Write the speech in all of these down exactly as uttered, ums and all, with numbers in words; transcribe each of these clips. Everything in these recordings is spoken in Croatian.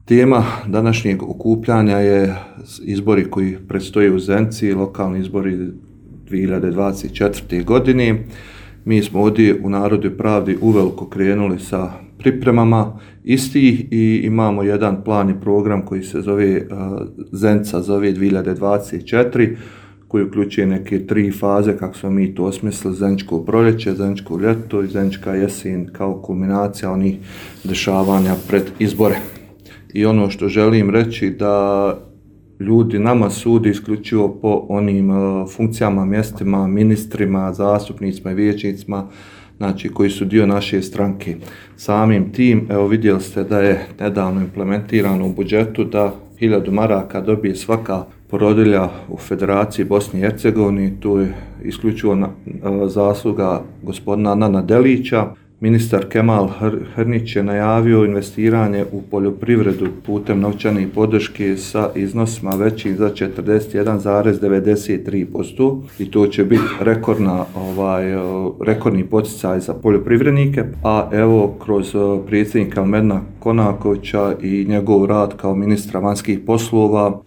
Tema današnjeg okupljanja je izbori koji predstoje u Zenici, lokalni izbori dvije hiljade dvadeset četvrte. godine. Mi smo ovdje u Narodu i pravdi uveliko krenuli sa pripremama istih i imamo jedan plan i program koji se zove Zenica zove dvije hiljade dvadeset četiri, koji uključuje neke tri faze, kako smo mi to osmislili: Zeničko proljeće, Zeničko ljeto i Zenička jesen kao kulminacija onih dešavanja pred izbore. I ono što želim reći da ljudi nama sudi isključivo po onim uh, funkcijama, mjestima, ministrima, zastupnicima i vijećnicima, znači koji su dio naše stranke. Samim tim, evo vidjeli ste da je nedavno implementirano u budžetu da hiljadu maraka dobije svaka porodilja u Federaciji Bosne i Hercegovine. Tu je isključivo na, uh, zasluga gospodina Nana Delića. Ministar Kemal Hrnić je najavio investiranje u poljoprivredu putem novčane podrške sa iznosima većim za četrdeset jedan zarez devedeset tri posto i to će biti rekordna, ovaj, rekordni poticaj za poljoprivrednike. A evo kroz predsjednika Medna Konakovića i njegov rad kao ministra vanjskih poslova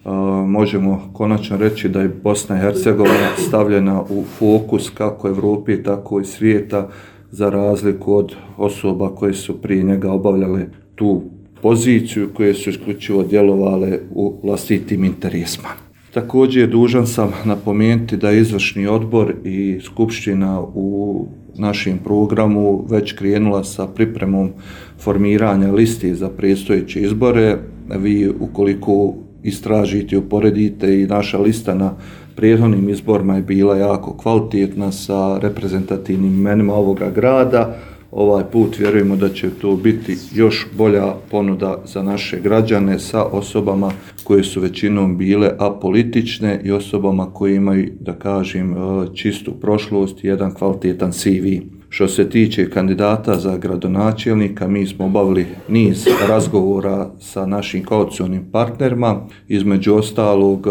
možemo konačno reći da je Bosna i Hercegovina stavljena u fokus kako Evrope tako i svijeta, za razliku od osoba koje su prije njega obavljale tu poziciju, koje su isključivo djelovale u vlastitim interesima. Također dužan sam napomenuti da je izvršni odbor i skupština u našem programu već krenula sa pripremom formiranja listi za predstojeće izbore. Vi ukoliko istražite i uporedite, i naša lista na prethodnim izborima je bila jako kvalitetna sa reprezentativnim imenima ovoga grada. Ovaj put vjerujemo da će to biti još bolja ponuda za naše građane sa osobama koje su većinom bile apolitične i osobama koje imaju, da kažem, čistu prošlost i jedan kvalitetan C V. Što se tiče kandidata za gradonačelnika, mi smo obavili niz razgovora sa našim koalicionim partnerima. Između ostalog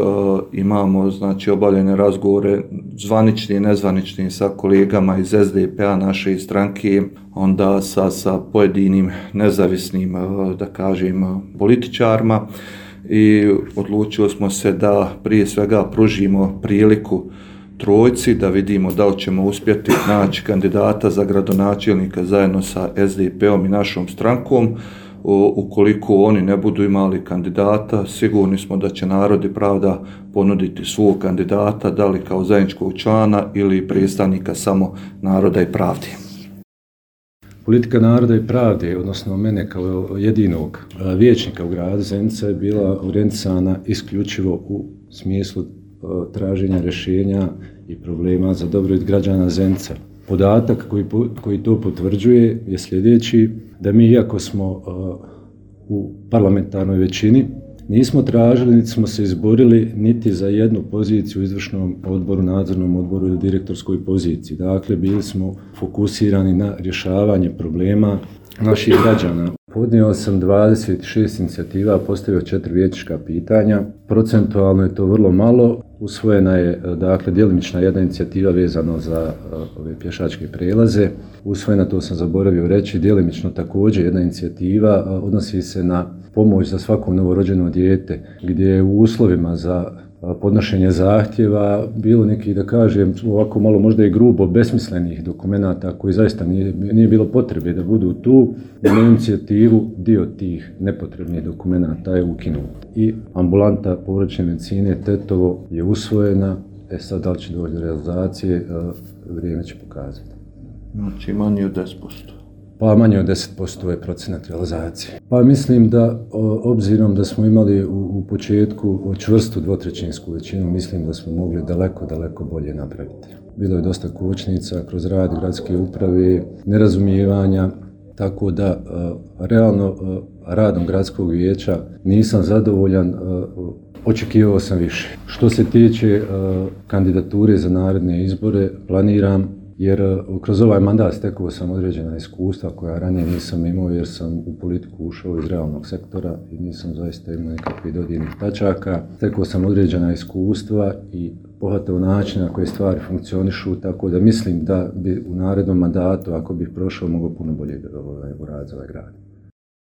imamo znači obavljene razgovore zvanični i nezvanični sa kolegama iz S D P-a naše stranke, onda sa, sa pojedinim nezavisnim, da kažem, političarima, i odlučili smo se da prije svega pružimo priliku trojci da vidimo da li ćemo uspjeti naći kandidata za gradonačelnika zajedno sa S D P-om i našom strankom. U, ukoliko oni ne budu imali kandidata, sigurni smo da će Narod i pravda ponuditi svog kandidata, da li kao zajedničkog člana ili predstavnika samo Naroda i pravde. Politika Naroda i pravde, odnosno mene kao jedinog vijećnika u gradu Zenica, je bila orijentisana isključivo u smislu traženja rješenja i problema za dobrobit građana Zenica. Podatak koji, koji to potvrđuje je sljedeći: da mi, iako smo uh, u parlamentarnoj većini, nismo tražili, niti smo se izborili niti za jednu poziciju u izvršnom odboru, nadzornom odboru ili direktorskoj poziciji. Dakle, bili smo fokusirani na rješavanje problema naših građana. Podnio sam dvadeset šest inicijativa, postavio četiri vijećnička pitanja. Procentualno je to vrlo malo. Usvojena je, dakle, djelimična jedna inicijativa vezano za uh, ove pješačke prelaze. Usvojena, to sam zaboravio reći, djelimično također jedna inicijativa uh, odnosi se na pomoć za svako novorođeno dijete, gdje je u uslovima za podnošenje zahtjeva bilo nekih, da kažem, ovako malo možda i grubo besmislenih dokumenata koji zaista nije, nije bilo potrebe da budu tu. Na inicijativu dio tih nepotrebnih dokumenata je ukinut. I ambulanta povraćne medicine Tetovo je usvojena. E sad, da li će doći do realizacije, vrijeme će pokazati. Znači manje od deset posto. Pa manje od deset posto je procenat realizacije. Pa mislim da, obzirom da smo imali u, u početku čvrstu dvotrećinsku većinu, mislim da smo mogli daleko, daleko bolje napraviti. Bilo je dosta kočnica kroz rad gradske uprave, nerazumijevanja, tako da realno radom gradskog vijeća nisam zadovoljan, očekivao sam više. Što se tiče kandidature za naredne izbore, planiram, jer kroz ovaj mandat stekao sam određena iskustva koja ranije nisam imao, jer sam u politiku ušao iz realnog sektora i nisam zaista imao nekakvih dodirnih tačaka. Stekao sam određena iskustva i pohvatao način na koje stvari funkcionišu, tako da mislim da bi u narednom mandatu, ako bih prošao, mogao puno bolje uraditi ovaj grad.